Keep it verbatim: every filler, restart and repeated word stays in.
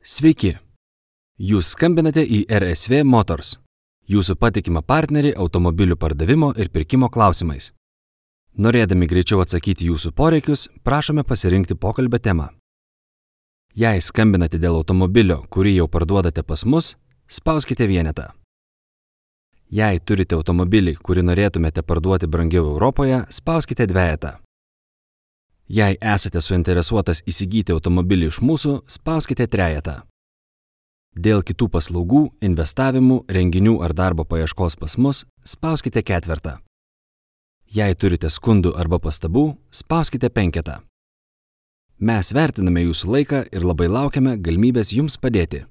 Sveiki! Jūs skambinate į R S V Motors, jūsų patikimą partnerį automobilių pardavimo ir pirkimo klausimais. Norėdami greičiau atsakyti jūsų poreikius, prašome pasirinkti pokalbio temą. Jei skambinate dėl automobilio, kurį jau parduodate pas mus, spauskite vienetą. Jei turite automobilį, kurį norėtumėte parduoti brangiau Europoje, spauskite dvejetą. Jei esate suinteresuotas įsigyti automobilį iš mūsų, spauskite trejetą. Dėl kitų paslaugų, investavimų, renginių ar darbo paieškos pas mus, spauskite ketvertą. Jei turite skundų arba pastabų, spauskite penketą. Mes vertiname jūsų laiką ir labai laukiame galimybės jums padėti.